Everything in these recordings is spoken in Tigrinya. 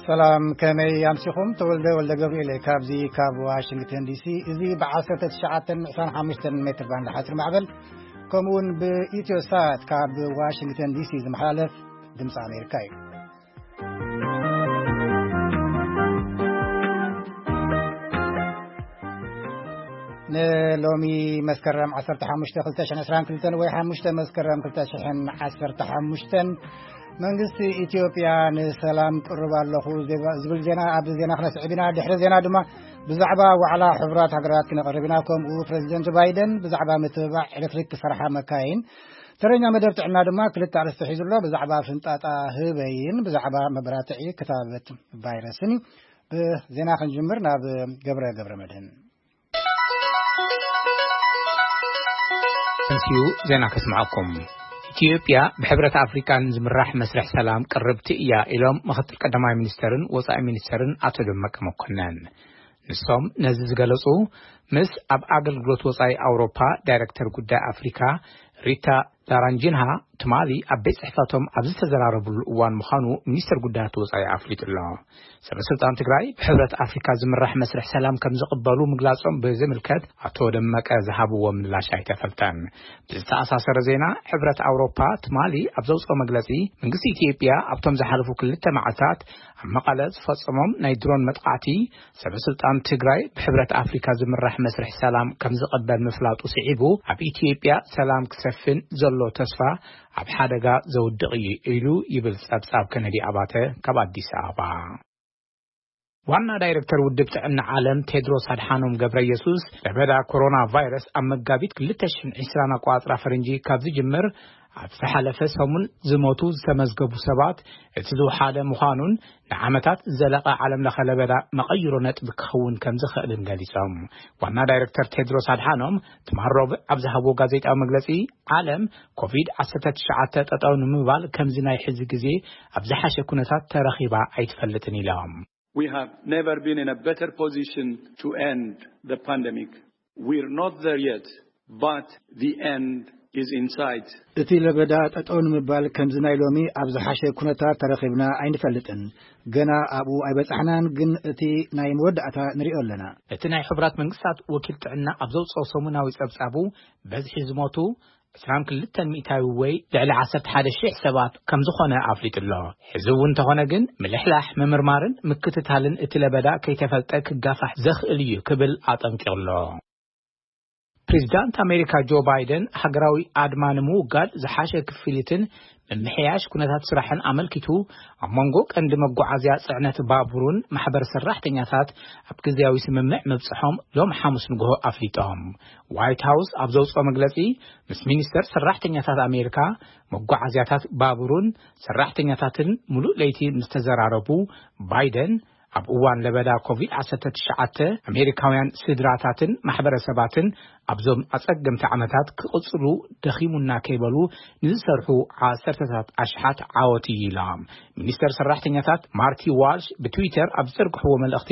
ሰላም፣ ከመይ ኣምሲኹም? ተወልደ ወልደ ገብርኤል እየ ካብዚ ካብ ዋሽንግተን ዲሲ። እዚ ብ19 25 ሜትር ባንድ ሓፂር ማዕበል፣ ከምኡውን ብኢትዮ ሳት ካብ ዋሽንግተን ዲሲ ዝመሓላለፍ ድምፂ ኣሜሪካ እዩ። ንሎሚ መስከረም 15 2022 ወይ 5 መስከረም 2015፣ መንግስቲ ኢትዮጵያ ንሰላም ቅርብ ኣለኹ ዝብል ዜና፣ ኣብዚ ዜና ክነስዕብ ኢና። ድሕሪ ዜና ድማ ብዛዕባ ዋዕላ ሕቡራት ሃገራት ክነቕርብ ኢና። ከምኡ ፕሬዚደንት ባይደን ብዛዕባ ምትብባዕ ኤሌክትሪክ ክሰርሓ መካይን ተረኛ መደብ ጥዕና ድማ ክልተ ኣርእስቲ ሒዙ ኣሎ። ብዛዕባ ፍንጣጣ ህበይን ብዛዕባ መበራትዒ ክታበት ቫይረስን እዩ። ብዜና ክንጅምር ናብ ገብረ ገብረ መድህን። እንስዩ ዜና ከስምዓኩም። ኢትዮጵያ ብሕብረት ኣፍሪካን ዝምራሕ መስርሕ ሰላም ቅርብቲ እያ ኢሎም ምክትል ቀዳማይ ሚኒስተርን ወፃኢ ሚኒስተርን ኣቶ ደመቀ መኮነን። ንሶም ነዚ ዝገለጹ ምስ ኣብ ኣገልግሎት ወፃኢ ኣውሮፓ ዳይሬክተር ጉዳይ ኣፍሪካ ሪታ ላራንጂንሃ ትማሊ ኣብ ቤት ጽሕፈቶም ኣብ ዝተዘራረብሉ እዋን ምዃኑ ሚኒስተር ጉዳያት ወፃኢ ኣፍሊጡ ኣሎ። ሰበ ስልጣን ትግራይ ብሕብረት ኣፍሪካ ዝምራሕ መስርሕ ሰላም ከም ዝቕበሉ ምግላጾም ብዝምልከት ኣቶ ደመቀ ዝሃብዎ ምላሽ ኣይተፈልጠን። ብዝተኣሳሰረ ዜና፣ ሕብረት ኣውሮፓ ትማሊ ኣብ ዘውፅኦ መግለፂ፣ መንግስቲ ኢትዮጵያ ኣብቶም ዝሓለፉ ክልተ መዓልታት ኣብ መቐለ ዝፈጸሞም ናይ ድሮን መጥቃዕቲ፣ ሰበ ስልጣን ትግራይ ብሕብረት ኣፍሪካ ዝምራሕ መስርሕ ሰላም ከም ዝቐበል ምፍላጡ ስዒቡ፣ ኣብ ኢትዮጵያ ሰላም ክሰፍን ዘሎ ተስፋ ኣብ ሓደጋ ዘውድቕ እዩ ኢሉ ይብል ጸብጻብ ከነዲ ኣባተ ካብ ኣዲስ ኣበባ። ዋና ዳይሬክተር ውድብ ጥዕና ዓለም ቴድሮስ ኣድሓኖም ገብረ ኢየሱስ፣ ለበዳ ኮሮና ቫይረስ ኣብ መጋቢት 2020 ኣቋጽራ ፈረንጂ ካብ ዝጅምር ኣብ ዝሓለፈ ሰሙን ዝሞቱ ዝተመዝገቡ ሰባት እቲ ዝወሓደ ምዃኑን ንዓመታት ዝዘለቐ ዓለም ለኸ ለበዳ መቐይሮ ነጥቢ ክኸውን ከም ዝኽእልን ገሊጾም። ዋና ዳይሬክተር ቴድሮስ ኣድሓኖም ትማል ረቡዕ ኣብ ዝሃብዎ ጋዜጣዊ መግለጺ፣ ዓለም ኮቪድ-19 ጠጠው ንምባል ከምዚ ናይ ሕዚ ግዜ ኣብ ዝሓሸ ኩነታት ተረኺባ ኣይትፈልጥን ኢሎም። We have never been in a better position to end the pandemic. We're not there yet, but the end is in sight. እቲ ለበዳ ጠጠው ንምባል ከምዚ ናይ ሎሚ ኣብ ዝሓሸ ኩነታት ተረኺብና ኣይንፈልጥን። ገና ኣብኡ ኣይበጻሕናን፣ ግን እቲ ናይ መወዳእታ ንሪኦ ኣለና። እቲ ናይ ሕቡራት መንግስታት ወኪል ጥዕና ኣብ ዘውፅኦ ሰሙናዊ ጸብጻቡ፣ በዝሒ ዝሞቱ 22% ወይ ልዕሊ 11,000 ሰባት ከም ዝኾነ ኣፍሊጡ ኣሎ። ሕዚ እውን እንተኾነ ግን፣ ምልሕላሕ፣ ምምርማርን ምክትታልን እቲ ለበዳ ከይተፈልጠ ክጋፋሕ ዘኽእል እዩ ክብል ኣጠንቂቑ ኣሎ። ፕሬዚዳንት ኣሜሪካ ጆ ባይደን፣ ሃገራዊ ኣድማ ንምውጋድ ዝሓሸ ክፍሊትን ምምሕያሽ ኩነታት ስራሕን ኣመልኪቱ፣ ኣብ መንጎ ቀንዲ መጓዓዝያ ጽዕነት ባቡርን ማሕበር ሰራሕተኛታት ኣብ ግዜያዊ ስምምዕ ምብጽሖም ሎም ሓሙስ ንግሆ ኣፍሊጦም። ዋይት ሃውስ ኣብ ዘውፅኦ መግለጺ፣ ምስ ሚኒስተር ሰራሕተኛታት ኣሜሪካ፣ መጓዓዝያታት ባቡርን ሰራሕተኛታትን ሙሉእ ለይቲ ምስ ተዘራረቡ፣ ባይደን ኣብ እዋን ለበዳ ኮቪድ-19 ኣሜሪካውያን ስድራታትን ማሕበረሰባትን ኣብዞም ኣጸገምቲ ዓመታት ክቕጽሉ ደኺሙና ከይበሉ ንዝሰርሑ ዓሰርተታት ኣሽሓት ዓወት እዩ ኢሎም። ሚኒስተር ሰራሕተኛታት ማርቲ ዋልሽ ብትዊተር ኣብ ዝዘርግሕዎ መልእኽቲ፣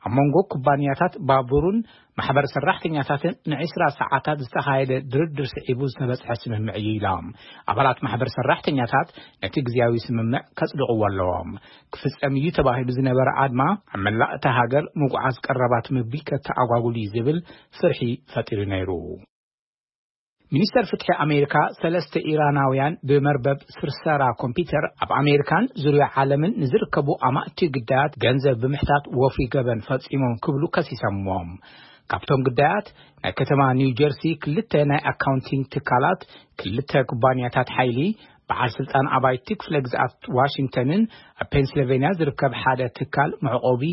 ኣብ መንጎ ኩባንያታት ባቡርን ማሕበር ሰራሕተኛታትን ን20 ሰዓታት ዝተኻየደ ድርድር ስዒቡ ዝተበጽሐ ስምምዕ እዩ ኢሎም። ኣባላት ማሕበር ሰራሕተኛታት ነቲ ግዜያዊ ስምምዕ ከጽድቕዎ ኣለዎም። ክፍጸም እዩ ተባሂሉ ዝነበረ ኣድማ ኣብ መላእ እታ ሃገር ምጉዓዝ ቀረባት ምግቢ ከተኣጓጉል እዩ ዝብል ፍርሒ ፈጢሩ ነይሩ። ሚኒስተር ፍትሒ ኣሜሪካ፣ ሰለስተ ኢራናውያን ብመርበብ ስርሰራ ኮምፒውተር ኣብ ኣሜሪካን ዙርያ ዓለምን ንዝርከቡ ኣማእቲ ግዳያት ገንዘብ ብምሕታት ወፍሪ ገበን ፈጺሞም ክብሉ ከሲሰምዎም። ካብቶም ግዳያት፣ ናይ ከተማ ኒው ጀርሲ ክልተ ናይ ኣካውንቲንግ ትካላት፣ ክልተ ኩባንያታት ሓይሊ፣ በዓል ስልጣን ኣባይቲ ክፍለ ግዝኣት ዋሽንግተንን ኣብ ፔንስልቬንያ ዝርከብ ሓደ ትካል መዕቆቢ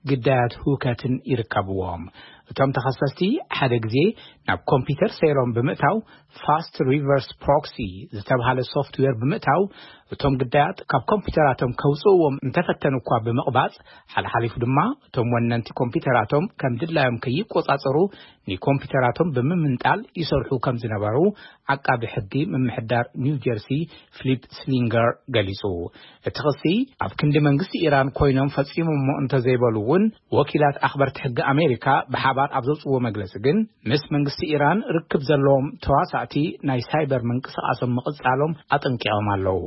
ግዳያት ህውከትን ይርከብዎም። እቶም ተኸሰስቲ ሓደ ግዜ ናብ ኮምፒውተር ሰይሮም ብምእታው፣ ፋስት ሪቨርስ ፕሮክሲ ዝተብሃለ ሶፍትዌር ብምእታው፣ እቶም ግዳያት ካብ ኮምፒውተራቶም ከውፅእዎም እንተፈተኑ እኳ ብምቕባፅ፣ ሓልሓሊፉ ድማ እቶም ወነንቲ ኮምፒውተራቶም ከም ድላዮም ከይቆጻጸሩ ንኮምፒውተራቶም ብምምንጣል ይሰርሑ ከም ዝነበሩ ዓቃቢ ሕጊ ምምሕዳር ኒው ጀርሲ ፊሊፕ ስሊንገር ገሊጹ። እቲ ክሲ ኣብ ክንዲ መንግስቲ ኢራን ኮይኖም ፈጺሞሞ እንተዘይበሉ እውን፣ ወኪላት ኣኽበርቲ ሕጊ ኣሜሪካ ብሓባር ኣብ ዘውፅዎ መግለፂ ግን፣ ምስ መንግስቲ ኢራን ርክብ ዘለዎም ተዋሳእቲ ናይ ሳይበር ምንቅስቃሶም ምቕፃሎም ኣጠንቂቖም ኣለዉ።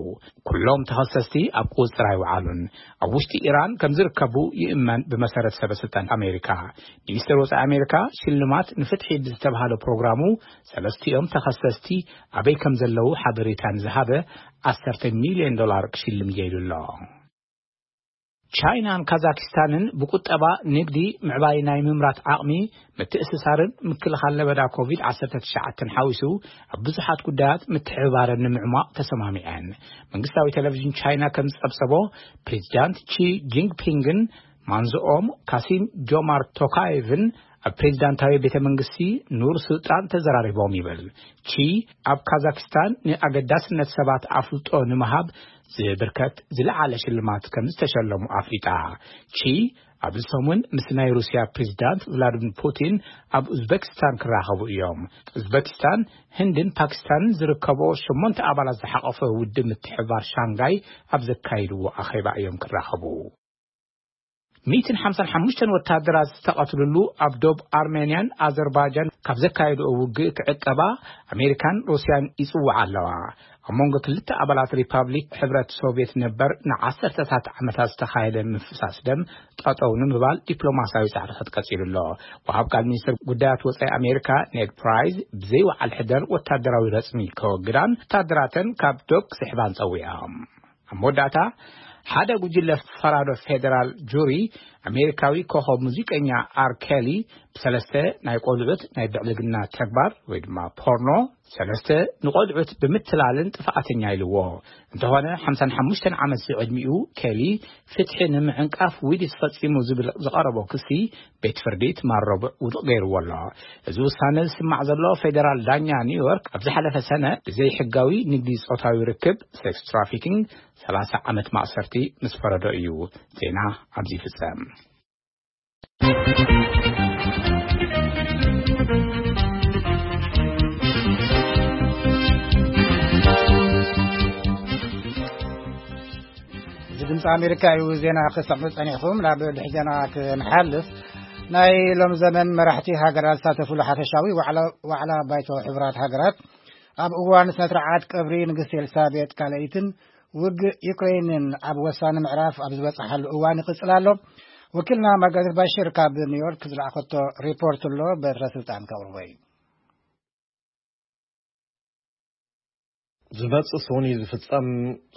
ኩሎም ተኸሰስቲ ኣብ ቁፅፅር ኣይወዓሉን። ኣብ ውሽጢ ኢራን ከም ዝርከቡ ይእመን፣ ብመሰረት ሰበ ስልጣን ኣሜሪካ። ሚኒስትር ወፃኢ ኣሜሪካ ሽልማት ንፍትሒ ብዝተባሃለ ፕሮግራሙ፣ ሰለስቲኦም ተኸሰስቲ ኣበይ ከም ዘለዉ ሓበሬታ ንዝሃበ ዓሰርተ ሚልዮን ዶላር ክሽልም እየ ኢሉ ኣሎ። ቻይናን ካዛኪስታንን ብቁጠባ፣ ንግዲ፣ ምዕባይ ናይ ምምራት ዓቕሚ፣ ምትእስሳርን ምክልኻል ለበዳ ኮቪድ ዓሰርተ ትሽዓተ ሓዊሱ ኣብ ብዙሓት ጉዳያት ምትሕብባረን ንምዕሟቕ ተሰማሚዐን። መንግስታዊ ቴሌቪዥን ቻይና ከም ዝጸብጸቦ፣ ፕሬዚዳንት ቺ ጂንግፒንግን ማንዝኦም ካሲም ጆማርት ቶካየቭን ኣብ ፕሬዚዳንታዊ ቤተ መንግስቲ ኑር ሱልጣን ተዘራሪቦም ይብል። ቺ ኣብ ካዛክስታን ንኣገዳስነት ሰባት ኣፍልጦ ንምሃብ ዝብርከት ዝለዓለ ሽልማት ከም ዝተሸለሙ ኣፍሊጣ። ቺ ኣብዚ ሰሙን ምስ ናይ ሩስያ ፕሬዚዳንት ቭላድሚር ፑቲን ኣብ ኡዝበኪስታን ክራኸቡ እዮም። ኡዝበኪስታን፣ ህንድን ፓኪስታንን ዝርከቦ ሸሞንተ ኣባላት ዝሓቐፈ ውድብ ምትሕብባር ሻንጋይ ኣብ ዘካይድዎ ኣኼባ እዮም ክራኸቡ። ሚእትን ሓምሳን ሓሙሽተን ወታደራት ዝተቐትልሉ ኣብ ዶብ ኣርሜንያን ኣዘርባይጃን ካብ ዘካየድኦ ውግእ ክዕቀባ ኣሜሪካን ሩስያን ይጽውዓ ኣለዋ። ኣብ መንጎ ክልተ ኣባላት ሪፓብሊክ ሕብረት ሶቪየት ነበር ንዓሰርተታት ዓመታት ዝተኻየደ ምፍሳስ ደም ጠጠው ንምባል ዲፕሎማሲያዊ ጻዕርታት ቀጺሉ ኣሎ። ወሃብ ቃል ሚኒስትር ጉዳያት ወጻኢ ኣሜሪካ ኔድ ፕራይስ ብዘይ ወዓል ሕደር ወታደራዊ ረጽሚ ከወግዳን ወታደራተን ካብ ዶብ ክስሕባን ጸዊዖም። ኣብ መወዳእታ፣ ሓደ ጉጅለ ፈራዶ ፌደራል ጁሪ፣ ኣሜሪካዊ ኮኸብ ሙዚቀኛ ኣር ኬሊ ብሰለስተ ናይ ቆልዑት ናይ ብዕልግና ተግባር ወይ ድማ ፖርኖ፣ ሰለስተ ንቆልዑት ብምትላልን ጥፍኣተኛ ኢልዎ። እንተኾነ፣ ሓምሳን ሓሙሽተን ዓመት ዝዕድሚኡ ኬሊ፣ ፍትሒ ንምዕንቃፍ ዊዲት ፈጺሙ ዝብል ዝቐረቦ ክሲ ቤት ፍርዲ ትማል ረቡዕ ውድቕ ገይርዎ ኣሎ። እዚ ውሳነ ዝስማዕ ዘሎ፣ ፌደራል ዳኛ ኒውዮርክ ኣብ ዝሓለፈ ሰነ ብዘይ ሕጋዊ ንግዲ ጾታዊ ርክብ፣ ሴክስ ትራፊኪንግ፣ ሰላሳ ዓመት ማእሰርቲ ምስ ፈረዶ እዩ። ዜና ኣብዚ ይፍጸም። እዚ ድምፂ ኣሜሪካ እዩ። ዜና ክሰምዑ ጸኒሕኩም። ናብ ድሕሪ ዜና ክንሓልፍ፣ ናይ ሎም ዘመን መራሕቲ ሃገራት ዝሳተፉሉ ሓፈሻዊ ዋዕላ፣ ዋዕላ ባይቶ ሕቡራት ሃገራት፣ ኣብ እዋን ስነ ስርዓት ቀብሪ ንግስቲ ኤልሳቤጥ ካልኣይትን ውግእ ዩክሬንን ኣብ ወሳኒ ምዕራፍ ኣብ ዝበጽሓሉ እዋን ይቕጽል ኣሎ። ወኪልና ማርጋሬት ባሽር ካብ ኒውዮርክ ዝለኣኸቶ ሪፖርት ኣሎ፣ በትረ ስልጣን ከቕርቦ እዩ። ዝመጽእ ሰኑይ ዝፍጸም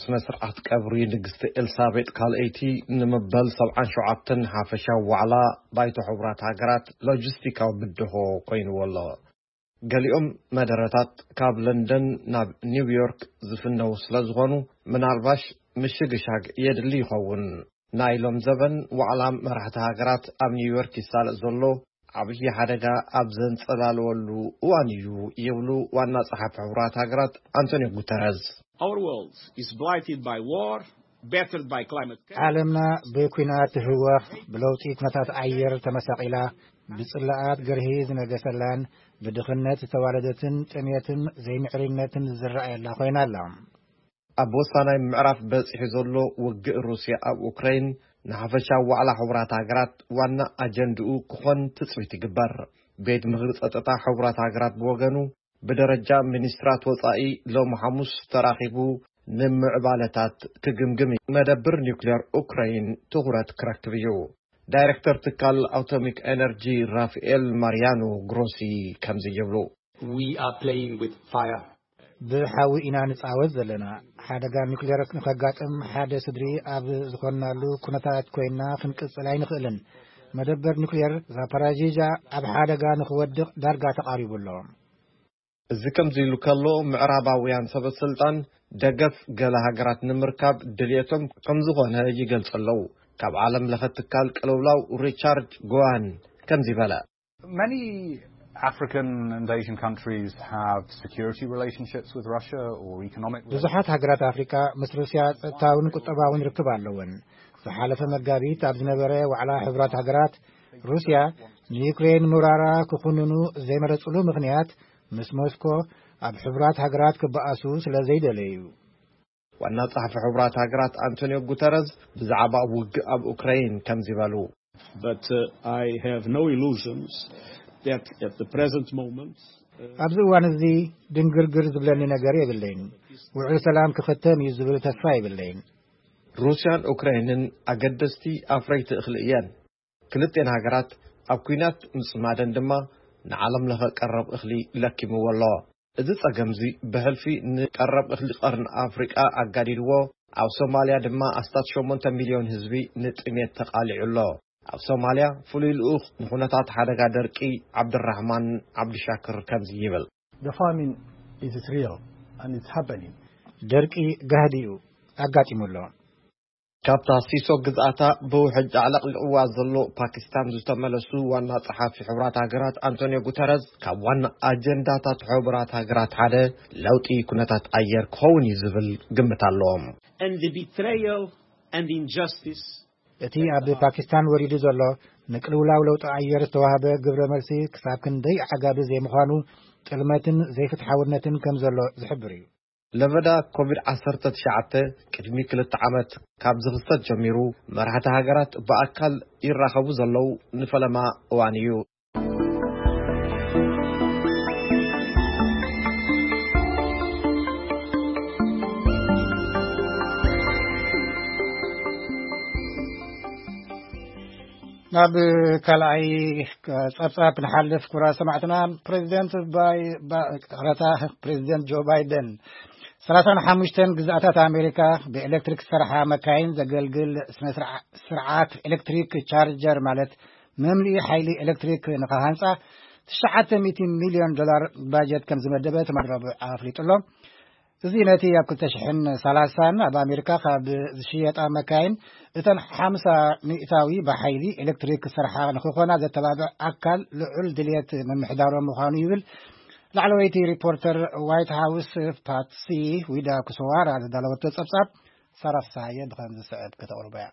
ስነ ስርዓት ቀብሪ ንግስቲ ኤልሳቤጥ ካልኣይቲ፣ ንምበል ሰብዓን ሸውዓተን ሓፈሻዊ ዋዕላ ባይቶ ሕቡራት ሃገራት ሎጂስቲካዊ ብድሆ ኮይንዎ ኣሎ። ገሊኦም መደረታት ካብ ለንደን ናብ ኒውዮርክ ዝፍነው ስለ ዝኾኑ፣ ምናልባሽ ምሽግሻግ የድሊ ይኸውን። ናይ ሎም ዘበን ዋዕላ መራሕቲ ሃገራት ኣብ ኒውዮርክ ይሳለጥ ዘሎ ዓብዪ ሓደጋ ኣብ ዘንጸላለወሉ እዋን እዩ ይብሉ ዋና ጸሓፊ ሕቡራት ሃገራት ኣንቶኒዮ ጉተረዝ። Our world is blighted by war, battered by climate chaos. ዓለምና ብኲናት ትህወኽ፣ ብለውጢ ኩነታት ኣየር ተመሳቒላ፣ ብጽላኣት ግርሂ ዝነገሰላን ብድኽነት ዝተዋለደትን ጥሜትን ዘይምዕርይነትን ዝረኣየላ ኮይና ኣላ። ኣብ ወሳናይ ምዕራፍ በጺሑ ዘሎ ውግእ ሩስያ ኣብ ኡክራይን ንሓፈሻዊ ዋዕላ ሕቡራት ሃገራት ዋና ኣጀንድኡ ክኾን ትጽቢት ይግበር። ቤት ምኽሪ ጸጥታ ሕቡራት ሃገራት ብወገኑ፣ ብደረጃ ሚኒስትራት ወጻኢ ሎሚ ሓሙስ ተራኺቡ ንምዕባለታት ክግምግም እዩ። መደብር ኒውክሌር ኡክራይን ትኹረት ክረክብ እዩ። ዳይሬክተር ትካል ኣቶሚክ ኤነርጂ ራፋኤል ማርያኖ ግሮሲ ከምዚ ይብሉ። We are playing with fire. ብሓዊ ኢና ንጻወት ዘለና። ሓደጋ ኒውክሌር ንኸጋጥም ሓደ ስድሪ ኣብ ዝኾንናሉ ኩነታት ኮይንና ክንቅጽል ኣይንኽእልን። መደበር ኒውክሌር ዛፓራጂጃ ኣብ ሓደጋ ንኽወድቕ ዳርጋ ተቓሪቡ ኣሎ። እዚ ከምዚ ኢሉ ከሎ፣ ምዕራባውያን ሰበ ስልጣን ደገፍ ገለ ሃገራት ንምርካብ ድልየቶም ከም ዝኾነ ይገልጹ ኣለዉ። ካብ ዓለም ለኸ ትካል ቅልውላው ሪቻርድ ጎዋን ከምዚ በለ። Many African and Asian countries have security relationships with Russia or economic relationships. ብዙሓት ሃገራት ኣፍሪቃ ምስ ሩስያ ጸጥታውን ቁጠባውን ርክብ ኣለወን። ዝሓለፈ መጋቢት ኣብ ዝነበረ ዋዕላ ሕቡራት ሃገራት፣ ሩስያ ንዩክሬን ምውራራ ክኹንኑ ዘይመረጽሉ ምኽንያት፣ ምስ ሞስኮ ኣብ ሕቡራት ሃገራት ክበኣሱ ስለ ዘይደለዩ። ዋና ጸሓፊ ሕቡራት ሃገራት ኣንቶኒዮ ጉተረዝ ብዛዕባ ውግእ ኣብ ኡክራይን ከምዚ በሉ። But uh, I have no illusions that at the present moment, uh, ኣብዚ እዋን እዚ ድንግርግር ዝብለኒ ነገር የብለይን። ውዕል ሰላም ክኸተም እዩ ዝብል ተስፋ የብለይን። ሩስያን ኡክራይንን ኣገደስቲ ኣፍረይቲ እኽሊ እየን። ክልቴን ሃገራት ኣብ ኲናት ምጽማደን ድማ ንዓለም ለኸ ቀረብ እኽሊ ለኪምዎ ኣሎ። እዚ ጸገምዚ ብሕልፊ ንቀረብ እኽሊ ቀርኒ ኣፍሪቃ ኣጋዲድዎ፣ ኣብ ሶማልያ ድማ ኣስታት ሸሞንተ ሚልዮን ህዝቢ ንጥሜት ተቓሊዑ ኣሎ። ኣብ ሶማልያ ፍሉይ ልኡኽ ንኹነታት ሓደጋ ደርቂ ዓብድራሕማን ዓብድሻክር ከምዚ ይብል። The famine is real and it's happening. ደርቂ ጋህዲ እዩ ኣጋጢሙ ኣሎ። ካብታ ሲሶ ግዝኣታ ብውሕጅ ኣዕለቕሊቕዋ ዘሎ ፓኪስታን ዝተመለሱ ዋና ጸሓፊ ሕቡራት ሃገራት ኣንቶኒዮ ጉተረዝ፣ ካብ ዋና ኣጀንዳታት ሕቡራት ሃገራት ሓደ ለውጢ ኩነታት ኣየር ክኸውን እዩ ዝብል ግምት ኣለዎም። And the betrayal and injustice እቲ ኣብ ፓኪስታን ወሪዱ ዘሎ ንቅልውላው ለውጢ ኣየር ዝተዋህበ ግብረ መልሲ ክሳብ ክንደይ ዓጋቢ ዘይምዃኑ፣ ጥልመትን ዘይፍትሓውነትን ከም ዘሎ ዝሕብር እዩ። ለበዳ ኮቪድ ዓሰርተ ትሽዓተ ቅድሚ ክልተ ዓመት ካብ ዝኽሰት ጀሚሩ፣ መራሕቲ ሃገራት ብኣካል ይራኸቡ ዘለዉ ንፈለማ እዋን እዩ። ናብ ካልኣይ ጸብጻብ ንሓልፍ። ክቡራት ሰማዕትና፣ ፕሬዚደንት ባይ- ባ- ቅረታ፣ ፕሬዚደንት ጆ ባይደን ሰላሳን ሓሙሽተን ግዝኣታት ኣሜሪካ ብኤሌክትሪክ ዝሰርሓ መካይን ዘገልግል ስነ ስርዓ- ስርዓት ኤሌክትሪክ ቻርጀር፣ ማለት መምልኢ ሓይሊ ኤሌክትሪክ ንኸሃንጻ ትሽዓተ ሚእቲ ሚልዮን ዶላር ባጀት ከም ዝመደበ ትማሊ ረቡዕ ኣፍሊጡ ኣሎ። እዚ ነቲ ኣብ ክልተ ሽሕን ሰላሳን ኣብ ኣሜሪካ ካብ ዝሽየጣ መካይን እተን ሓምሳ ሚእታዊ ብሓይሊ ኤሌክትሪክ ዝሰርሓ ንክኾና ዘተባብዕ ኣካል ልዑል ድልየት ምምሕዳሮም ምዃኑ ይብል። ላዕለወይቲ ሪፖርተር ዋይት ሃውስ ፓትሲ ዊዳ ኩሶዋራ ዝዳለወቶ ጸብጻብ ሳራ ፍስሃየ ብኸም ዝስዕብ ከተቕርቦ እያ።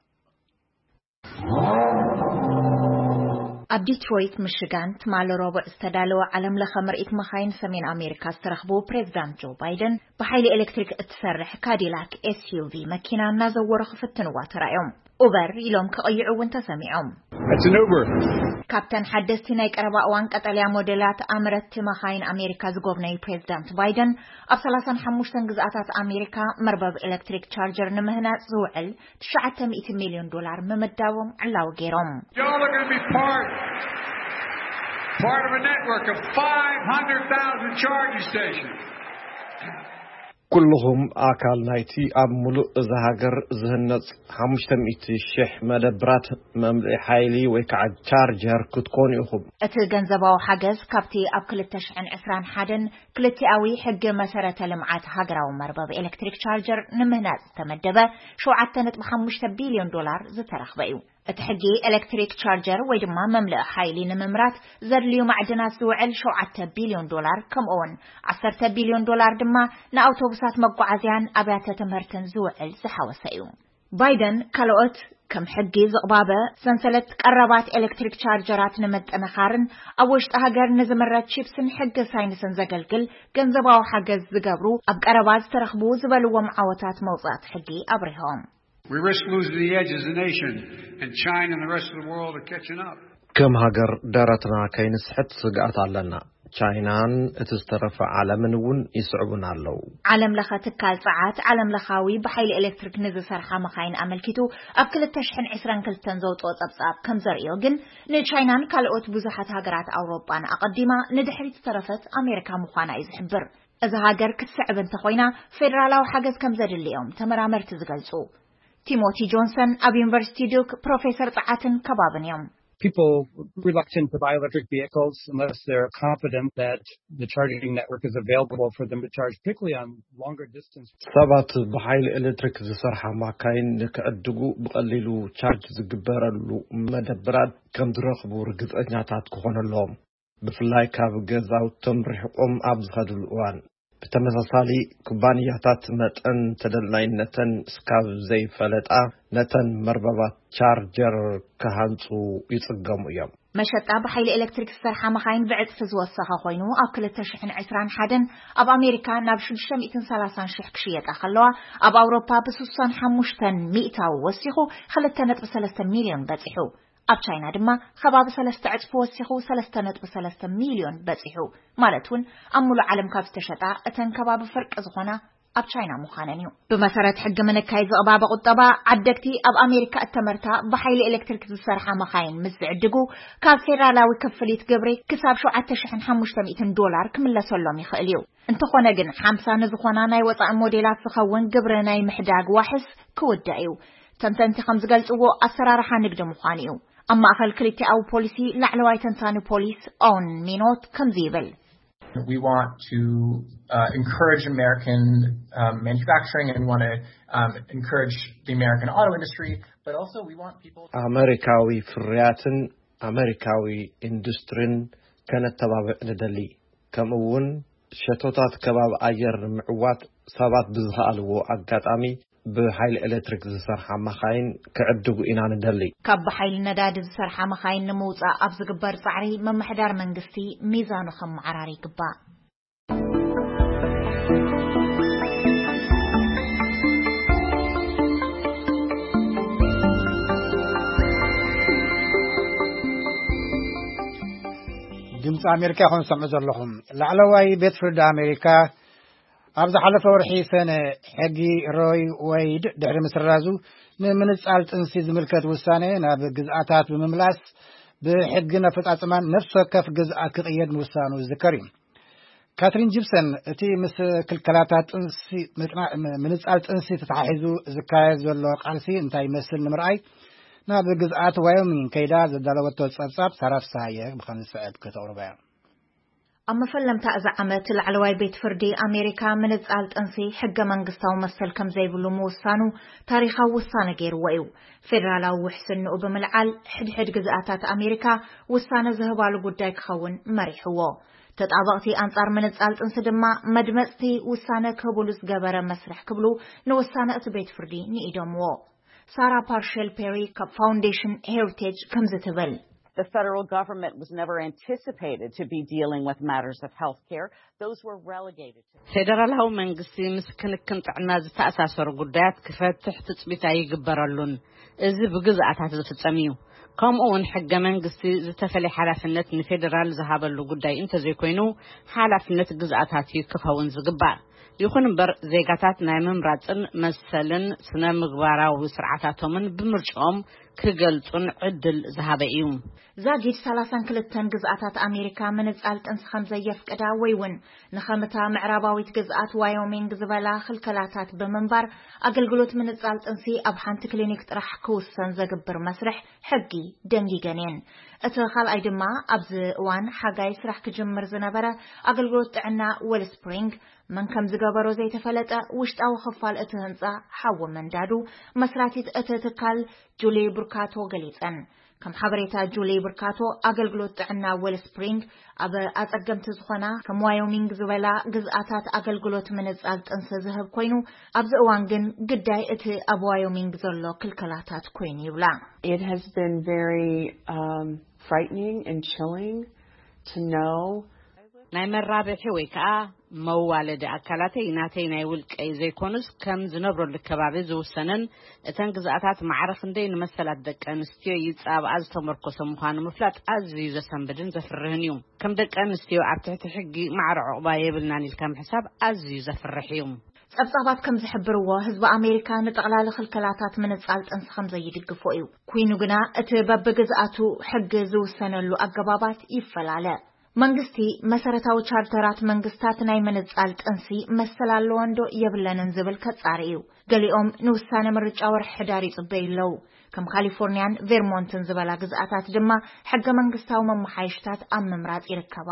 ኣብ ዲትሮይት ሚሽጋን ትማሊ ረቡዕ ዝተዳለወ ዓለም ለኸ ምርኢት መኻይን ሰሜን ኣሜሪካ ዝተረኽቡ ፕሬዚዳንት ጆ ባይደን ብሓይሊ ኤሌክትሪክ እትሰርሕ ካዲላክ ኤስዩቪ መኪና እናዘወሩ ክፍትንዋ ተራእዮም። ኡበር ኢሎም ክቕይዑ እውን ተሰሚዖም። It's an Uber. ካብተን ሓደስቲ ናይ ቀረባ እዋን ቀጠልያ ሞዴላት ኣምረትቲ መኻይን ኣሜሪካ ዝጎብነዩ ፕሬዚዳንት ባይደን ኣብ ሰላሳን ሓሙሽተን ግዝኣታት ኣሜሪካ መርበብ ኤሌክትሪክ ቻርጀር ንምህናፅ ዝውዕል ትሽዓተ ሚእቲ ሚልዮን ዶላር ምምዳቦም ዕላዊ ገይሮም። Y'all are going to be part, part of a network of five hundred thousand charging stations. ኩልኹም ኣካል ናይቲ ኣብ ሙሉእ እዛ ሃገር ዝህነጽ ሓሙሽተ ሚእቲ ሽሕ መደብራት መምልኢ ሓይሊ ወይ ከዓ ቻርጀር ክትኮኑ ኢኹም። እቲ ገንዘባዊ ሓገዝ ካብቲ ኣብ ክልተ ሽሕን ዕስራን ሓደን ክልቲኣዊ ሕጊ መሰረተ ልምዓት ሃገራዊ መርበብ ኤሌክትሪክ ቻርጀር ንምህናጽ ዝተመደበ ሸውዓተ ነጥቢ ሓሙሽተ ቢልዮን ዶላር ዝተረኽበ እዩ። እቲ ሕጊ ኤሌክትሪክ ቻርጀር ወይ ድማ መምልኢ ሓይሊ ንምምራት ዘድልዩ ማዕድናት ዝውዕል ሸውዓተ ቢልዮን ዶላር፣ ከምኡ እውን ዓሰርተ ቢልዮን ዶላር ድማ ንኣውቶቡሳት መጓዓዝያን ኣብያተ ትምህርትን ዝውዕል ዝሓወሰ እዩ። ባይደን ካልኦት ከም ሕጊ ዝቕባበ ሰንሰለት ቀረባት ኤሌክትሪክ ቻርጀራት ንምጥንኻርን ኣብ ውሽጢ ሃገር ንዝምረት ቺፕስን ሕጊ ሳይንስን ዘገልግል ገንዘባዊ ሓገዝ ዝገብሩ ኣብ ቀረባ ዝተረኽቡ ዝበልዎም ዓወታት መውፃእቲ ሕጊ ኣብሪሆም። We risk losing the edge as a nation, and China and the rest of the world are catching up. ከም ሃገር ደረትና ከይንስሕት ስግኣት ኣለና። ቻይናን እቲ ዝተረፈ ዓለምን እውን ይስዕቡና ኣለዉ። ዓለም ለኸ ትካል ጸዓት ዓለም ለኻዊ ብሓይሊ ኤሌክትሪክ ንዝሰርሓ መኻይን ኣመልኪቱ ኣብ ክልተ ሽሕን ዕስራን ክልተን ዘውፅኦ ጸብጻብ ከም ዘርእዮ ግን ንቻይናን ካልኦት ብዙሓት ሃገራት ኣውሮጳን ኣቐዲማ ንድሕሪት ዝተረፈት ኣሜሪካ ምዃና እዩ ዝሕብር። እዛ ሃገር ክትስዕብ እንተኾይና ፌደራላዊ ሓገዝ ከም ዘድልዮም ተመራመርቲ ዝገልጹ። ቲሞቲ ጆንሰን ኣብ ዩኒቨርሲቲ ዱክ ፕሮፌሰር ጸዓትን ከባብን እዮም። People reluctant to buy electric vehicles unless they're confident that the charging network is available for them to charge, particularly on longer distance. ሰባት ብሓይሊ ኤሌክትሪክ ዝሰርሓ ማካይን ንክዕድጉ ብቐሊሉ ቻርጅ ዝግበረሉ መደብራት ከም ዝረኽቡ ርግጸኛታት ክኾኑ ኣለዎም፣ ብፍላይ ካብ ገዛውቶም ርሕቆም ኣብ ዝኸድሉ እዋን። ብተመሳሳሊ ኩባንያታት መጠን ተደላይነተን እስካብ ዘይፈለጣ ነተን መርበባት ቻርጀር ክሃንጹ ይጽገሙ እዮም። መሸጣ ብሓይሊ ኤሌክትሪክ ዝሰርሓ መኻይን ብዕጽፊ ዝወሰኸ ኮይኑ ኣብ ክልተ ሽሕን ዕስራን ሓደን ኣብ ኣሜሪካ ናብ ሽዱሽተ ሚእትን ሰላሳን ሽሕ ክሽየጣ ከለዋ ኣብ ኣውሮፓ ብስሳን ሓሙሽተን ሚእታዊ ወሲኹ ክልተ ነጥቢ ሰለስተ ሚልዮን በጺሑ። ኣብ ቻይና ድማ ከባቢ ሰለስተ ዕጽፊ ወሲኹ ሰለስተ ነጥቢ ሰለስተ ሚልዮን በጺሑ። ማለት እውን ኣብ ሙሉእ ዓለም ካብ ዝተሸጣ እተን ከባቢ ፍርቂ ዝኾና ኣብ ቻይና ምዃነን እዩ። ብመሰረት ሕጊ ምንካይ ዝቕባበ ቁጠባ፣ ዓደግቲ ኣብ ኣሜሪካ እተመርታ ብሓይሊ ኤሌክትሪክ ዝሰርሓ መኻይን ምስ ዝዕድጉ፣ ካብ ፌደራላዊ ክፍሊት ግብሪ ክሳብ ሸውዓተ ሽሕን ሓሙሽተ ሚእትን ዶላር ክምለሰሎም ይኽእል እዩ። እንተኾነ ግን፣ ሓምሳ ንዝኾና ናይ ወጻኢ ሞዴላት ዝኸውን ግብሪ ናይ ምሕዳግ ዋሕስ ክውዳእ እዩ። ተንተንቲ ከም ዝገልጽዎ፣ ኣሰራርሓ ንግዲ ምዃኑ እዩ። ኣብ ማእከል ክልቲኣዊ ፖሊሲ ላዕለዋይ ተንታኒ ፖሊስ ኦውን ሚኖት ከምዚ ይብል። We want to uh, encourage American um, manufacturing, and we want to um, encourage the American auto industry, but also we want people to ኣመሪካዊ ፍርያትን ኣመሪካዊ ኢንዱስትሪን ከነተባብዕ ንደሊ። ከምኡ እውን ሸቶታት ከባቢ ኣየር ንምዕዋት ሰባት ብዝኸኣልዎ ኣጋጣሚ ብሓይሊ ኤሌክትሪክ ዝሰርሓ መኻይን ክዕድጉ ኢና ንደሊ። ካብ ብሓይሊ ነዳዲ ዝሰርሓ መኻይን ንምውጻእ ኣብ ዝግበር ጻዕሪ፣ ምምሕዳር መንግስቲ ሚዛኑ ከመዓራሪ ይግባእ። ድምፂ ኣሜሪካ ኢኹም ዝሰምዑ ዘለኹም። ላዕለዋይ ቤት ፍርዲ ኣሜሪካ ኣብ ዝሓለፈ ወርሒ ሰነ ሕጊ ሮይ ወይድ ድሕሪ ምስራዙ፣ ንምንጻል ጥንሲ ዝምልከት ውሳነ ናብ ግዝኣታት ብምምላስ፣ ብሕግን ኣፈጻጽማን ነፍሲ ወከፍ ግዝኣት ክቕየድ ምውሳኑ ዝዝከር እዩ። ካትሪን ጂፕሰን፣ እቲ ምስ ክልከላታት ጥንሲ ምጥና-፣ ምንጻል ጥንሲ ተተሓሒዙ ዝካየድ ዘሎ ቃልሲ እንታይ ይመስል ንምርኣይ፣ ናብ ግዝኣት ዋዮሚንግ ከይዳ ዘዳለወቶ ጸብጻብ ሳራ ፍስሃየ ብኸም ዝስዕብ ከተቕርቦ እያ። ኣብ መፈለምታ እዚ ዓመት፣ ላዕለዋይ ቤት ፍርዲ ኣሜሪካ ምንጻል ጥንሲ ሕገ መንግስታዊ መሰል ከም ዘይብሉ ምውሳኑ ታሪኻዊ ውሳነ ገይርዎ እዩ። ፌደራላዊ ውሕስንኡ ብምልዓል፣ ሕድሕድ ግዝኣታት ኣሜሪካ ውሳነ ዝህባሉ ጉዳይ ክኸውን መሪሕዎ። ተጣበቕቲ ኣንጻር ምንጻል ጥንሲ ድማ፣ መድመጽቲ ውሳነ ክህብሉ ዝገበረ መስርሕ ክብሉ ንውሳነ እቲ ቤት ፍርዲ ንኢዶምዎ። ሳራ ፓርሸል ፔሪ ካብ ፋውንዴሽን ሄሪቴጅ ከምዚ ትብል። The federal government was never anticipated to be dealing with matters of health care. Those were relegated to ፌደራላዊ መንግስቲ ምስ ክንክን ጥዕና ዝተኣሳሰሩ ጉዳያት ክፈትሕ ትጽቢት ኣይግበረሉን። እዚ ብግዝኣታት ዝፍጸም እዩ። ከምኡ እውን ሕገ መንግስቲ ዝተፈለየ ሓላፍነት ንፌደራል ዝሃበሉ ጉዳይ እንተዘይኮይኑ፣ ሓላፍነት ግዝኣታት እዩ ክኸውን ዝግባእ። ይኹን እምበር፣ ዜጋታት ናይ ምምራጽን መሰልን ስነ ምግባራዊ ስርዓታቶምን ብምርጫኦም ክገልጹን ዕድል ዝሃበ እዩ። ዛጊድ ሰላሳን ክልተን ግዝኣታት ኣሜሪካ ምንጻል ጥንሲ ከም ዘየፍቅዳ ወይ እውን ንኸምታ ምዕራባዊት ግዝኣት ዋዮሚንግ ዝበላ ክልከላታት ብምንባር፣ ኣገልግሎት ምንጻል ጥንሲ ኣብ ሓንቲ ክሊኒክ ጥራሕ ክውሰን ዘግብር መስርሕ ሕጊ ደንጊገን እየን። እቲ ካልኣይ ድማ፣ ኣብዚ እዋን ሓጋይ ስራሕ ክጅምር ዝነበረ ኣገልግሎት ጥዕና ዌልስፕሪንግ፣ መን ከም ዝገበሮ ዘይተፈለጠ፣ ውሽጣዊ ክፋል እቲ ህንጻ ሓዊ ምንዳዱ፣ መስራቲት እቲ ትካል ጁሊ ብርካቶ ገሊጸን። ከም ሓበሬታ ጁሊ ብርካቶ፣ ኣገልግሎት ጥዕና ዌልስፕሪንግ ኣብ ኣጸገምቲ ዝኾና ከም ዋዮሚንግ ዝበላ ግዝኣታት ኣገልግሎት ምንጻል ጥንሲ ዝህብ ኮይኑ፣ ኣብዚ እዋን ግን ግዳይ እቲ ኣብ ዋዮሚንግ ዘሎ ክልከላታት ኮይኑ ይብላ። It has been very um, frightening and chilling to know ናይ መራብሒ ወይ ከዓ መዋለዲ ኣካላተይ ናተይ ናይ ውልቀይ ዘይኮኑስ፣ ከም ዝነብረሉ ከባቢ ዝውሰንን፣ እተን ግዝኣታት ማዕረ ክንደይ ንመሰላት ደቂ ኣንስትዮ ይጻብኣ ዝተመርኮሰ ምዃኑ ምፍላጥ ኣዝዩ ዘሰንብድን ዘፍርህን እዩ። ከም ደቂ ኣንስትዮ ኣብ ትሕቲ ሕጊ ማዕረ ዕቑባ የብልናን ኢልካ ምሕሳብ ኣዝዩ ዘፍርሕ እዩ። ጸብጻባት ከም ዝሕብርዎ፣ ህዝቢ ኣሜሪካ ንጠቕላሊ ክልከላታት ምንጻል ጥንሲ ከም ዘይድግፎ እዩ። ኩይኑ ግና፣ እቲ በብግዝኣቱ ሕጊ ዝውሰነሉ ኣገባባት ይፈላለ። መንግስቲ፣ መሰረታዊ ቻርተራት መንግስታት ናይ ምንጻል ጥንሲ መሰል ኣለወን ዶ የብለንን ዝብል ከጻሪ እዩ። ገሊኦም ንውሳነ ምርጫ ወርሒ ሕዳር ይጽበዩ ኣለዉ። ከም ካሊፎርኒያን ቬርሞንትን ዝበላ ግዝኣታት ድማ፣ ሕገ መንግስታዊ መመሓየሽታት ኣብ ምምራጽ ይርከባ።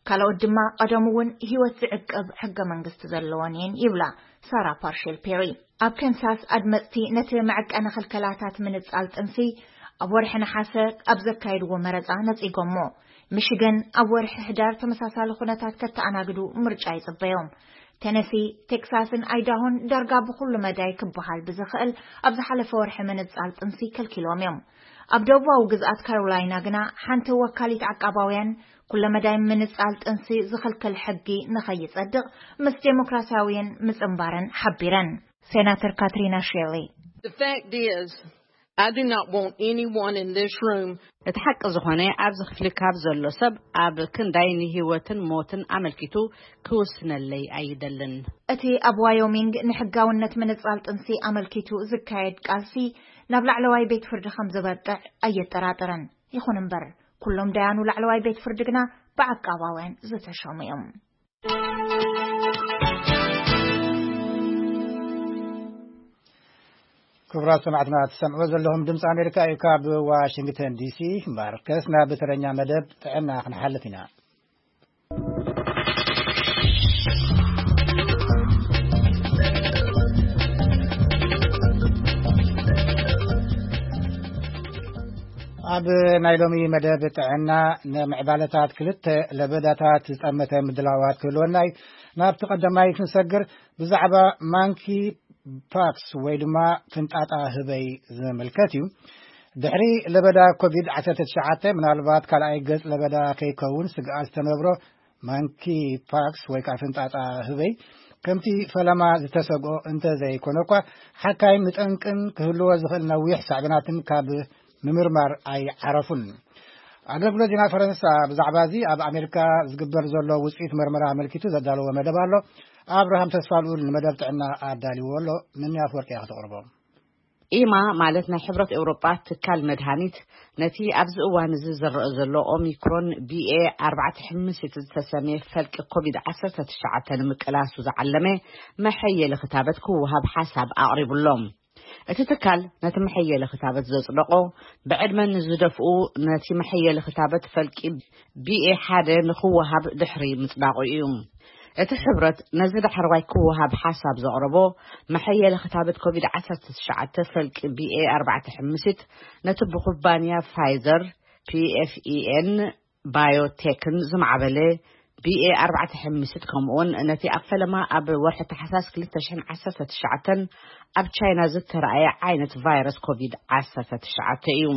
ካልኦት ድማ፣ ቀደም እውን ህይወት ዝዕቅብ ሕገ መንግስቲ ዘለወን እየን ይብላ ሳራ ፓርሼል ፔሪ። ኣብ ከንሳስ፣ ኣድመጽቲ ነቲ መዐቀኒ ክልከላታት ምንጻል ጥንሲ ኣብ ወርሒ ነሓሰ ኣብ ዘካየድዎ መረጻ ነጺጎሞ። ሚሽገን ኣብ ወርሒ ሕዳር ተመሳሳሊ ኩነታት ከተኣናግዱ ምርጫ ይጽበዮም። ቴነሲ፣ ቴክሳስን ኣይዳሆን ዳርጋ ብኹሉ መዳይ ክበሃል ብዝኽእል ኣብ ዝሓለፈ ወርሒ ምንጻል ጥንሲ ከልኪሎም እዮም። ኣብ ደቡባዊ ግዝኣት ካሮላይና ግና፣ ሓንቲ ወካሊት ዓቃባውያን፣ ኩለመዳይ ምንጻል ጥንሲ ዝኽልክል ሕጊ ንኸይጸድቕ ምስ ዴሞክራሲያውያን ምጽንባረን ሓቢረን። ሴናተር ካትሪና ሼሊ፣ The fact is, I do not want anyone in this room. እቲ ሓቂ ዝኾነ፣ ኣብዚ ክፍሊ ካብ ዘሎ ሰብ ኣብ ክንዳይ ንህይወትን ሞትን ኣመልኪቱ ክውስነለይ ኣይደልን። እቲ ኣብ ዋዮሚንግ ንሕጋውነት ምንጻል ጥንሲ ኣመልኪቱ ዝካየድ ቃልሲ ናብ ላዕለዋይ ቤት ፍርዲ ከም ዝበቅዕ ኣየጠራጥረን። ይኹን እምበር፣ ኩሎም ዳያኑ ላዕለዋይ ቤት ፍርዲ ግና ብዓቃባውያን ዝተሸሙ እዮም። ክቡራት ሰማዕትና፣ ትሰምዕዎ ዘለኹም ድምፂ ኣሜሪካ እዩ። ካብ ዋሽንግተን ዲሲ ማርከስ ናብ ተረኛ መደብ ጥዕና ክንሓልፍ ኢና። ኣብ ናይ ሎሚ መደብ ጥዕና፣ ንምዕባለታት ክልተ ለበዳታት ዝጠመተ ምድላዋት ክህልወና እዩ። ናብቲ ቀዳማይ ክንሰግር፣ ብዛዕባ ማንኪ ፓክስ ወይ ድማ ፍንጣጣ ህበይ ዝምልከት እዩ። ድሕሪ ለበዳ ኮቪድ ዓሰርተ ትሽዓተ፣ ምናልባት ካልኣይ ገጽ ለበዳ ከይከውን ስግኣት ዝተነብሮ ማንኪ ፓክስ ወይ ከዓ ፍንጣጣ ህበይ፣ ከምቲ ፈለማ ዝተሰግኦ እንተ ዘይኮነ እኳ፣ ሓካይም ንጠንቅን ክህልዎ ዝኽእል ነዊሕ ሳዕቤናትን ካብ ምምርማር ኣይዓረፉን። ኣገልግሎት ዜና ፈረንሳ ብዛዕባ እዚ ኣብ ኣሜሪካ ዝግበር ዘሎ ውፅኢት መርመራ ኣመልኪቱ ዘዳለዎ መደብ ኣሎ። ኣብርሃም ተስፋ ልኡል ንመደብ ጥዕና ኣዳልዎ ኣሎ። ምንያፍ ወርቂ እያ ከተቕርቦ። ኢማ ማለት ናይ ሕብረት ኤውሮጳ ትካል መድሃኒት፣ ነቲ ኣብዚ እዋን እዚ ዝረአ ዘሎ ኦሚክሮን ቢ ኤ ኣርባዕተ ሕምሲት ዝተሰምየ ፈልቂ ኮቪድ ዓሰርተ ትሽዓተ ንምቅላሱ ዝዓለመ መሐየሊ ክታበት ክወሃብ ሓሳብ ኣቕሪቡሎም። እቲ ትካል ነቲ መሐየሊ ክታበት ዘጽደቆ፣ ብዕድመ ንዝደፍኡ ነቲ መሐየሊ ክታበት ፈልቂ ቢ ኤ ሓደ ንክወሃብ ድሕሪ ምጽዳቑ እዩ። እቲ ሕብረት ነዚ ዳሕረዋይ ክወሃብ ሓሳብ ዘቕረቦ፣ መሐየሊ ክታበት ኮቪድ ዓሰርተ ትሽዓተ ፈልቂ ቢ ኤ ኣርባዕተ ሕምሲት ነቲ ብኩባንያ ፋይዘር፣ ፒ ኤፍ ኢ ኤን ባዮቴክን ዝማዕበለ ቢ ኤ ኣርባዕተ ሕምሲት፣ ከምኡውን ነቲ ኣብ ፈለማ ኣብ ወርሒ ታሕሳስ ክልተ ሽሕን ዓሰርተ ትሽዓተን ኣብ ቻይና ዝተራእየ ዓይነት ቫይረስ ኮቪድ ዓሰርተ ትሽዓተ እዩ።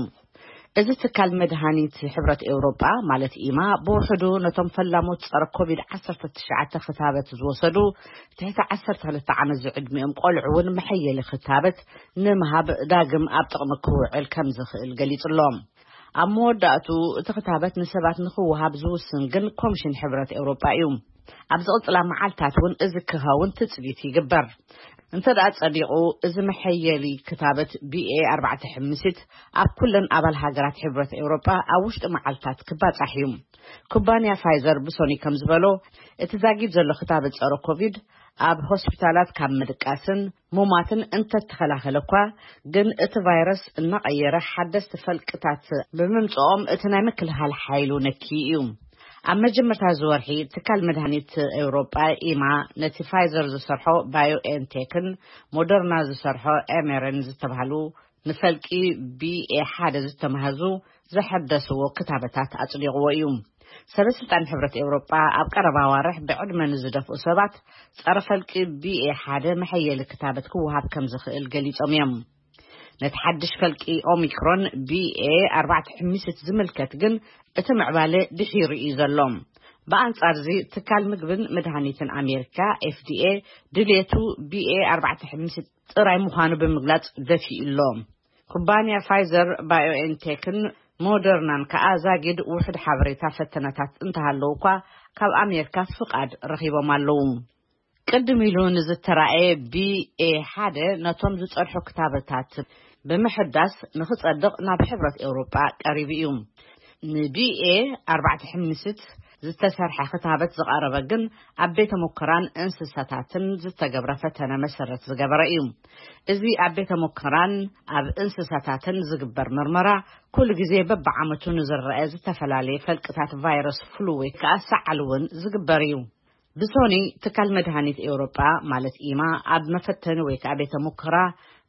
እዚ ትካል መድሃኒት ሕብረት ኤውሮጳ፣ ማለት ኢማ፣ ብውሕዱ ነቶም ፈላሞት ጸረ ኮቪድ ዓሰርተ ትሽዓተ ክታበት ዝወሰዱ ትሕቲ ዓሰርተ ክልተ ዓመት ዝዕድሚኦም ቆልዑ እውን መሐየሊ ክታበት ንምሃብ ዳግም ኣብ ጥቕሚ ክውዕል ከም ዝኽእል ገሊጹ ኣሎ። ኣብ መወዳእቱ እቲ ክታበት ንሰባት ንክወሃብ ዝውስን ግን ኮሚሽን ሕብረት ኤውሮጳ እዩ። ኣብ ዝቕጽላ መዓልታት እውን እዚ ክኸውን ትጽቢት ይግበር። እንተ ደኣ ጸዲቑ፣ እዚ መሐየሊ ክታበት ቢ ኤ ኣርባዕተ ሕምሲት ኣብ ኩለን ኣባል ሃገራት ሕብረት ኤውሮጳ ኣብ ውሽጢ መዓልታት ክባጻሕ እዩ። ኩባንያ ፋይዘር ብሶኒ ከም ዝበሎ፣ እቲ ዛጊድ ዘሎ ክታበት ጸረ ኮቪድ ኣብ ሆስፒታላት ካብ ምድቃስን ሙማትን እንተተኸላኸለ እኳ፣ ግን እቲ ቫይረስ እናቐየረ ሓደስቲ ፈልቅታት ብምምጽኦም፣ እቲ ናይ ምክልኻል ሓይሉ ነኪ እዩ። ኣብ መጀመርታ እዚ ወርሒ፣ ትካል መድሃኒት ኤውሮጳ ኢማ ነቲ ፋይዘር ዝሰርሖ ባዮኤንቴክን ሞደርና ዝሰርሖ ኤሜረን ዝተባህሉ ንፈልቂ ቢ ኤ ሓደ ዝተማህዙ ዘሐደስዎ ክታበታት ኣጽዲቕዎ እዩ። ሰበ ስልጣን ሕብረት ኤውሮጳ ኣብ ቀረባ ኣዋርሕ ብዕድመ ንዝደፍኡ ሰባት ጸረ ፈልቂ ቢ ኤ ሓደ መሐየሊ ክታበት ክወሃብ ከም ዝኽእል ገሊጾም እዮም። ነቲ ሓድሽ ፈልቂ ኦሚክሮን ቢ ኤ ኣርባዕተ ሕምሲት ዝምልከት ግን እቲ ምዕባለ ድሒሩ እዩ ዘሎ። ብኣንጻር እዚ፣ ትካል ምግብን መድሃኒትን ኣሜሪካ፣ ኤፍ ዲ ኤ፣ ድሌቱ ቢ ኤ ኣርባዕተ ሕምሲት ጥራይ ምዃኑ ብምግላጽ ደፊኡ ኣሎ። ኩባንያ ፋይዘር ባዮኤንቴክን ሞደርናን ከኣ ዛጊድ ውሑድ ሓበሬታ ፈተነታት እንተሃለዉ እኳ፣ ካብ ኣሜሪካ ፍቓድ ረኺቦም ኣለዉ። ቅድም ኢሉ ንዝተራእየ ቢ ኤ ሓደ ነቶም ዝጸድሑ ክታበታት ብምሕዳስ ንኽጸድቕ ናብ ሕብረት ኤውሮጳ ቀሪቡ እዩ። ን ቢ ኤ ኣርባዕተ ሕምሲት ዝተሰርሐ ክታበት ዝቐረበ ግን ኣብ ቤተ ሙከራን እንስሳታትን ዝተገብረ ፈተነ መሰረት ዝገበረ እዩ። እዚ ኣብ ቤተ ሙከራን ኣብ እንስሳታትን ዝግበር መርመራ ኩሉ ግዜ በብዓመቱ ንዝረአ ዝተፈላለየ ፈልቅታት ቫይረስ ፍሉ ወይ ከኣ ሰዓል እውን ዝግበር እዩ። ብሶኒ ትካል መድሃኒት ኤውሮጳ ማለት ኢማ ኣብ መፈተኒ ወይ ከኣ ቤተ ሙከራ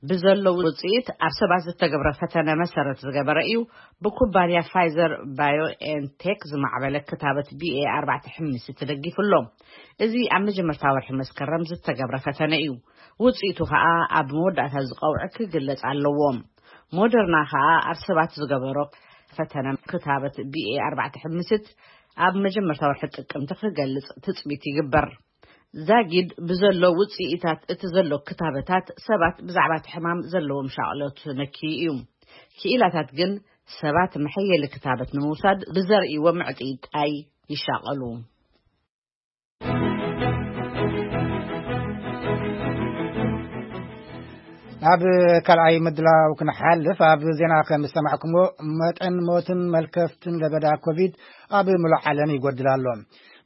ብዘለዉ ውጽኢት ኣብ ሰባት ዝተገብረ ፈተነ መሰረት ዝገበረ እዩ። ብኩባንያ ፋይዘር ባዮኤንቴክ ዝማዕበለ ክታበት ቢ ኤ ኣርባዕተ ሕምሲ ተደጊፉ ኣሎ። እዚ ኣብ መጀመርታ ወርሒ መስከረም ዝተገብረ ፈተነ እዩ። ውጽኢቱ ከኣ ኣብ መወዳእታ ዝቐውዒ ክግለጽ ኣለዎ። ሞደርና ከኣ ኣብ ሰባት ዝገበሮ ፈተነ ክታበት ቢ ኤ ኣርባዕተ ሕምሲት ኣብ መጀመርታ ወርሒ ጥቅምቲ ክገልጽ ትጽቢት ይግበር። ዛጊድ ብዘሎ ውጽኢታት እቲ ዘሎ ክታበታት ሰባት ብዛዕባ እቲ ሕማም ዘለዎም ሻቕሎት ነኪዩ እዩ። ክኢላታት ግን ሰባት መሐየሊ ክታበት ንምውሳድ ብዘርእይዎ ምዕጥይጣይ ይሻቐሉ። ናብ ካልኣይ ምድላው ክንሓልፍ፣ ኣብ ዜና ከም ዝሰማዕኩሞ፣ መጠን ሞትን መልከፍትን ለበዳ ኮቪድ ኣብ ምሉእ ዓለም ይጎድል ኣሎ።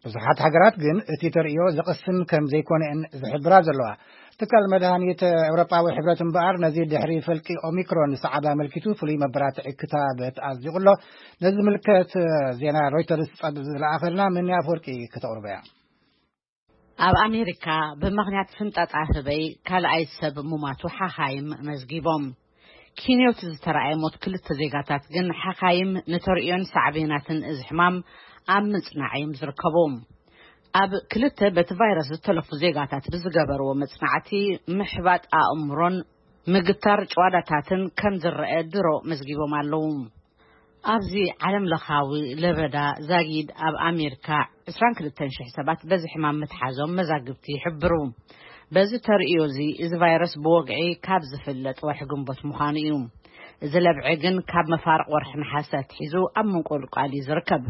ብዙሓት ሃገራት ግን እቲ ተርእዮ ዘቕስን ከም ዘይኮነን ዝሕብራ ዘለዋ። ትካል መድሃኒት ኤውሮጳዊ ሕብረት እምበኣር፣ ነዚ ድሕሪ ፈልቂ ኦሚክሮን ዝሰዓበ ኣመልኪቱ ፍሉይ መበራትዒ ክታበት ኣጽዲቑ ኣሎ። ነዚ ዝምልከት ዜና ሮይተርስ ጸብ ዝለኣኸልና ምንያ ኣፈወርቂ ከተቕርቦ እያ። ኣብ ኣሜሪካ ብምኽንያት ፍንጣጣ ህበይ ካልኣይ ሰብ ሙማቱ ሓኻይም መዝጊቦም። ኪንዮት ዝተረኣየ ሞት ክልተ ዜጋታት ግን ሓኻይም ንተርእዮን ሳዕቤናትን እዚ ሕማም ኣብ ምጽናዕ እዮም ዝርከቡ። ኣብ ክልተ በቲ ቫይረስ ዝተለፉ ዜጋታት ብዝገበርዎ መጽናዕቲ፣ ምሕባጥ ኣእምሮን ምግታር ጭዋዳታትን ከም ዝረአ ድሮ መዝጊቦም ኣለዉ። ኣብዚ ዓለም ለኻዊ ለበዳ ዛጊድ፣ ኣብ ኣሜሪካ ዕስራን ክልተን ሽሕ ሰባት በዚ ሕማም ምትሓዞም መዛግብቲ ይሕብሩ። በዚ ተርእዮ እዚ፣ እዚ ቫይረስ ብወግዒ ካብ ዝፍለጥ ወርሒ ግንቦት ምዃኑ እዩ። እዚ ለብዒ ግን ካብ መፋርቕ ወርሒ ነሓሰ ኣትሒዙ ኣብ ምንቁልቋል እዩ ዝርከብ።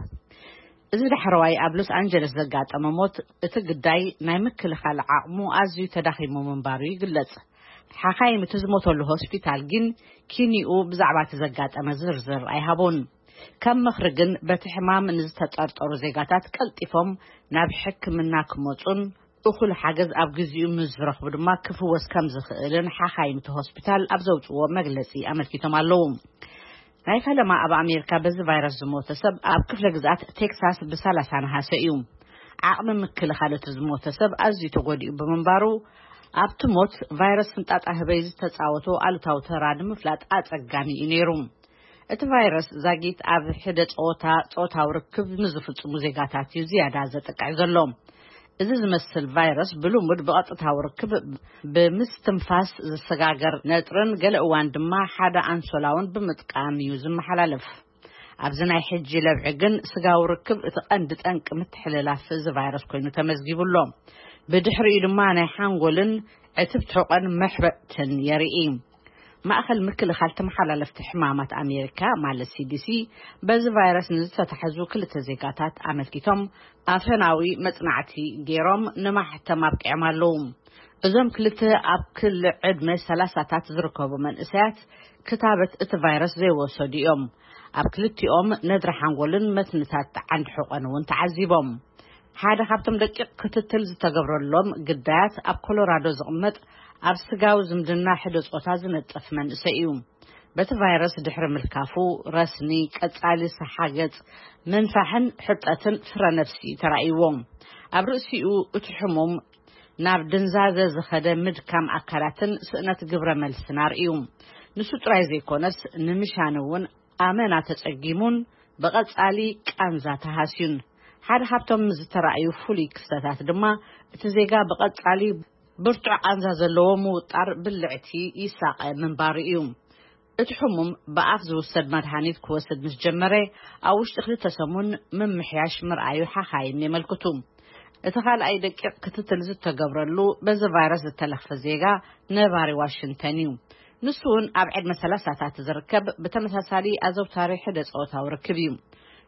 እዚ ዳሕረዋይ ኣብ ሎስ ኣንጀለስ ዘጋጠመ ሞት፣ እቲ ግዳይ ናይ ምክልኻል ዓቕሙ ኣዝዩ ተዳኺሙ ምንባሩ ይግለጽ። ሓኻይም እቲ ዝሞተሉ ሆስፒታል ግን ኪኒኡ ብዛዕባ እቲ ዘጋጠመ ዝርዝር ኣይሃቡን። ከም ምኽሪ ግን፣ በቲ ሕማም ንዝተጠርጠሩ ዜጋታት ቀልጢፎም ናብ ሕክምና ክመጹን እኹል ሓገዝ ኣብ ግዜኡ ምስ ዝረኽቡ ድማ ክፍወስ ከም ዝኽእልን ሓኻይም እቲ ሆስፒታል ኣብ ዘውጽዎ መግለጺ ኣመልኪቶም ኣለዉ። ናይ ፈለማ ኣብ ኣሜሪካ በዚ ቫይረስ ዝሞተ ሰብ ኣብ ክፍለ ግዝኣት ቴክሳስ ብ30 ነሓሰ እዩ። ዓቕሚ ምክልኻል እቲ ዝሞተ ሰብ ኣዝዩ ተጎዲኡ ብምንባሩ፣ ኣብቲ ሞት ቫይረስ ፍንጣጣ ህበይ ዝተጻወቶ ኣሉታዊ ተራ ንምፍላጥ ኣጸጋሚ እዩ ነይሩ። እቲ ቫይረስ ዛጊት ኣብ ሕደ ጾታ፣ ጾታዊ ርክብ ንዝፍጽሙ ዜጋታት እዩ ዝያዳ ዘጥቅዕ ዘሎ። እዚ ዝመስል ቫይረስ ብልሙድ ብቐጥታዊ ርክብ ብምስትንፋስ ዝሰጋገር ነጥርን ገለ እዋን ድማ ሓደ ኣንሶላውን ብምጥቃም እዩ ዝመሓላለፍ። ኣብዚ ናይ ሕጂ ለብዒ ግን ስጋዊ ርክብ እቲ ቀንዲ ጠንቂ ምትሕልላፍ እዚ ቫይረስ ኮይኑ ተመዝጊቡ ኣሎ። ብድሕሪኡ ድማ ናይ ሓንጎልን ዕትብቲ ሕቖን መሕበጥትን የርኢ። ማእኸል ምክልኻል ተመሓላለፍቲ ሕማማት ኣሜሪካ፣ ማለት ሲዲሲ፣ በዚ ቫይረስ ንዝተታሕዙ ክልተ ዜጋታት ኣመልኪቶም ኣፈናዊ መጽናዕቲ ገይሮም ንማሕተም ኣብቂዖም ኣለዉ። እዞም ክልተ ኣብ ክሊ ዕድመ ሰላሳታት ዝርከቡ መንእሰያት ክታበት እቲ ቫይረስ ዘይወሰዱ እዮም። ኣብ ክልቲኦም ነድሪ ሓንጎልን መትንታት ዓንዲ ሕቖን እውን ተዓዚቦም። ሓደ ካብቶም ደቂቕ ክትትል ዝተገብረሎም ግዳያት ኣብ ኮሎራዶ ዝቕመጥ ኣብ ስጋዊ ዝምድና ሕደ ጾታ ዝነጥፍ መንእሰይ እዩ። በቲ ቫይረስ ድሕሪ ምልካፉ ረስኒ፣ ቀጻሊ ሰሓገጽ፣ ምንፋሕን ሕርጠትን ፍረ ነፍሲ ተራእይዎ። ኣብ ርእሲኡ እቲ ሕሙም ናብ ድንዛዘ ዝኸደ ምድካም ኣካላትን ስእነት ግብረ መልስን ኣርእዩ። ንሱ ጥራይ ዘይኮነስ ንምሻን እውን ኣመና ተጸጊሙን ብቐጻሊ ቃንዛ ተሃስዩን። ሓደ ካብቶም ዝተራእዩ ፍሉይ ክስተታት ድማ እቲ ዜጋ ብቐጻሊ ብርቱዕ ቃንዛ ዘለዎ ምውጣር ብልዕቲ ይሳቐ ምንባሩ እዩ። እቲ ሕሙም ብኣፍ ዝውሰድ መድሃኒት ክወስድ ምስ ጀመረ፣ ኣብ ውሽጢ ክልተ ሰሙን ምምሕያሽ ምርኣዩ ሓኻይም የመልክቱ። እቲ ካልኣይ ደቂቕ ክትትል ዝተገብረሉ በዚ ቫይረስ ዝተለኽፈ ዜጋ ነባሪ ዋሽንግተን እዩ። ንሱ እውን ኣብ ዕድመ ሰላሳታት ዝርከብ፣ ብተመሳሳሊ ኣዘውታሪ ሕደ ጾታዊ ርክብ እዩ።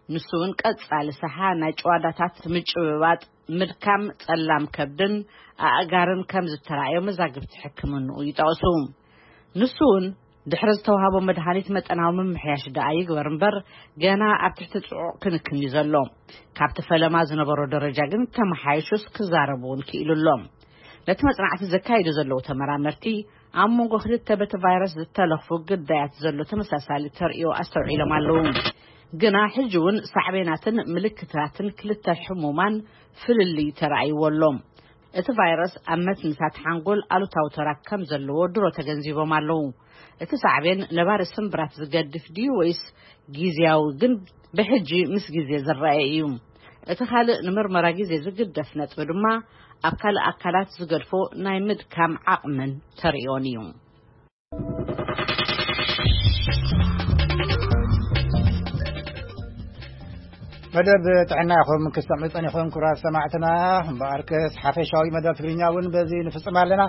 ንሱ እውን ቀጻሊ ሰሓ፣ ናይ ጭዋዳታት ምጭብባጥ፣ ምድካም ጸላም ከብድን ኣእጋርን ከም ዝተራእዮ መዛግብቲ ሕክምንኡ ይጠቕሱ። ንሱ እውን ድሕሪ ዝተዋህቦ መድሃኒት መጠናዊ ምምሕያሽ ደኣ ይግበር እምበር፣ ገና ኣብ ትሕቲ ጽዑቕ ክንክን እዩ ዘሎ። ካብቲ ፈለማ ዝነበሮ ደረጃ ግን ተመሓይሹስ ክዛረብ እውን ክኢሉ ኣሎ። ነቲ መጽናዕቲ ዘካይዱ ዘለዉ ተመራመርቲ፣ ኣብ መንጎ ክልተ በቲ ቫይረስ ዝተለኽፉ ግዳያት ዘሎ ተመሳሳሊ ተርእዮ ኣስተውዒሎም ኣለዉ። ግና ሕጂ እውን ሳዕቤናትን ምልክታትን ክልተ ሕሙማን ፍልልይ ተራእይዎ ኣሎ። እቲ ቫይረስ ኣብ መትንታት ሓንጎል ኣሉታዊ ተራ ከም ዘለዎ ድሮ ተገንዚቦም ኣለዉ። እቲ ሳዕቤን ነባሪ ስምብራት ዝገድፍ ድዩ ወይስ ግዝያዊ ግን ብሕጂ ምስ ግዜ ዝረኣየ እዩ? እቲ ካልእ ንምርመራ ግዜ ዝግደፍ ነጥቢ ድማ ኣብ ካልእ ኣካላት ዝገድፎ ናይ ምድካም ዓቕምን ተርእዮን እዩ። መደብ ጥዕና ኢኹም ክሰምዑ ጸኒኹም፣ ክቡራት ሰማዕትና። እምበኣርከስ ሓፈሻዊ መደብ ትግርኛ እውን በዚ ንፍጽም ኣለና።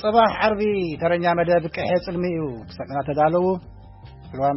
ጽባሕ ዓርቢ ተረኛ መደብ ቅሐ ጽልሚ እዩ። ክሰምዑና ተዳለዉ። ርዋንዳ